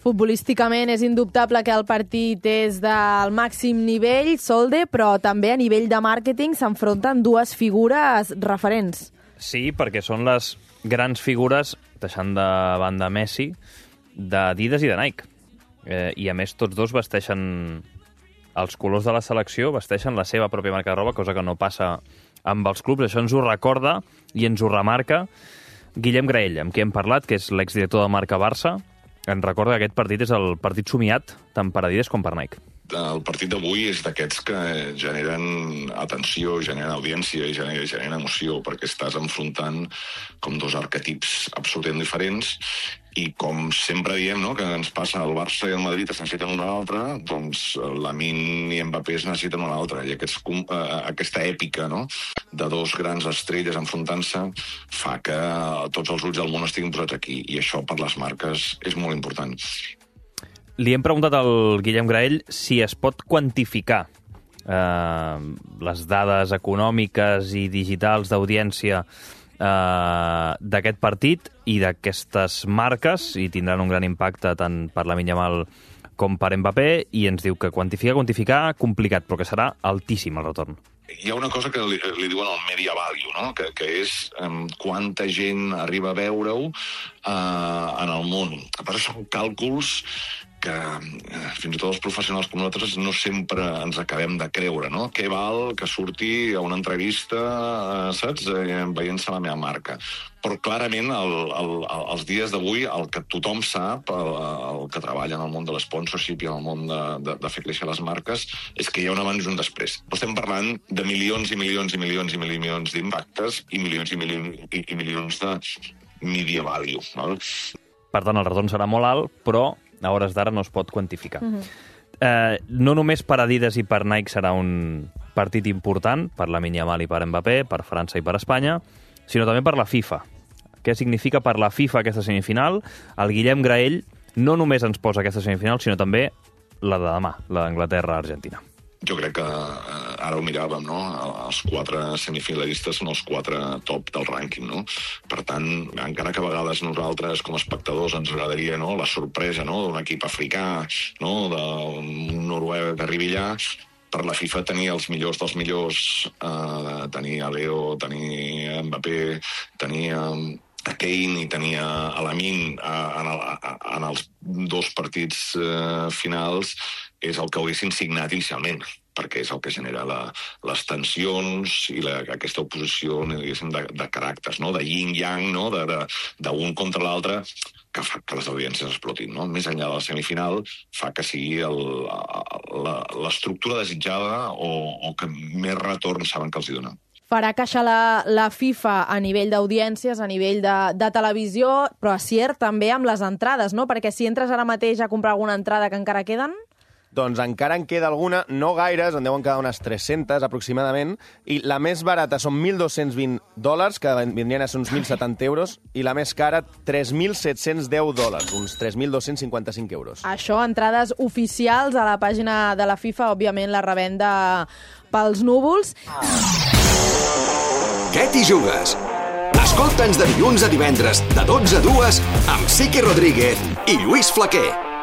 Futbolísticament és indubtable que el partit és del màxim nivell, Solde, però també a nivell de màrqueting s'enfronten dues figures referents. Sí, perquè són les grans figures, deixant de banda Messi, d'Adidas i de Nike. I a més tots dos vesteixen els colors de la selecció, vesteixen la seva pròpia marca de roba, cosa que no passa amb els clubs. Això ens ho recorda i ens ho remarca Guillem Graell, amb qui hem parlat, que és l'exdirector de marca Barça. Ens recorda que aquest partit és el partit somiat tant per Adidas com per Nike. El partit d'avui és d'aquests que generen atenció, generen audiència i generen emoció, perquè estàs enfrontant com dos arquetips absolutament diferents i com sempre diem, no?, que ens passa al Barça i al Madrid es necessiten un a l'altre, doncs Lamine i Mbappé es necessiten un a l'altre. I aquesta èpica, no?, de dos grans estrelles enfrontant-se fa que tots els ulls del món estiguin posats aquí. I això per les marques és molt important. Li hem preguntat al Guillem Graell si es pot quantificar les dades econòmiques i digitals d'audiència d'aquest partit i d'aquestes marques, i tindran un gran impacte tant per Lamine Yamal com per Mbappé, i ens diu que quantificar, complicat, però que serà altíssim el retorn. Hi ha una cosa que li diuen el media value, no?, que és quanta gent arriba a veure-ho en el món. A part, són càlculs que fins i tot els professionals com nosaltres no sempre ens acabem de creure, no? Què val que surti a una entrevista, saps?, veient-se la meva marca. Però clarament, els dies d'avui, el que tothom sap, el que treballa en el món de l'esponsorship i en el món de fer créixer les marques, és que hi ha un abans i un després. Però estem parlant de milions i milions i milions i milions d'impactes i milions i milions de media value, no? Per tant, el retorn serà molt alt, però a hores d'ara no es pot quantificar. No només per Adidas i per Nike serà un partit important, per Lamine Yamal i per Mbappé, per França i per Espanya, sinó també per la FIFA. Què significa per la FIFA aquesta semifinal? El Guillem Graell no només ens posa aquesta semifinal, sinó també la de demà, la d'Anglaterra-Argentina. Jo crec que ara ho miràvem, no? Els 4 semifinalistes són els 4 top del rànquing, no? Per tant, encara que a vegades nosaltres, com a espectadors, ens agradaria, no?, la sorpresa, no?, d'un equip africà, no?, d'un noruec que arribi allà, per la FIFA tenir els millors dels millors, tenir a Leo, tenir Mbappé, tenir a Kane i tenir a Lamine en els 2 partits finals és el que haguessin signat inicialment, perquè és el que genera les tensions i aquesta oposició, diguéssim, de caràcters, no?, de yin-yang, no?, d'un contra l'altre, que fa que les audiències explotin, no? Més enllà de la semifinal, fa que sigui l'estructura desitjada o que més retorn saben que els hi dona. Farà caixa la FIFA a nivell d'audiències, a nivell de televisió, però a cert també amb les entrades, no? Perquè si entres ara mateix a comprar alguna entrada que encara queden... Doncs encara en queda alguna, no gaires, en deuen quedar unes 300 aproximadament, i la més barata són $1.220, que vindrien a ser uns 1.070 euros, i la més cara, $3.710, uns 3.255 euros. Això, entrades oficials a la pàgina de la FIFA, òbviament la revenda pels núvols. Què t'hi jugues? Escolta'ns de dilluns a divendres, de 12 a 2, amb Sique Rodríguez i Lluís Flaquer.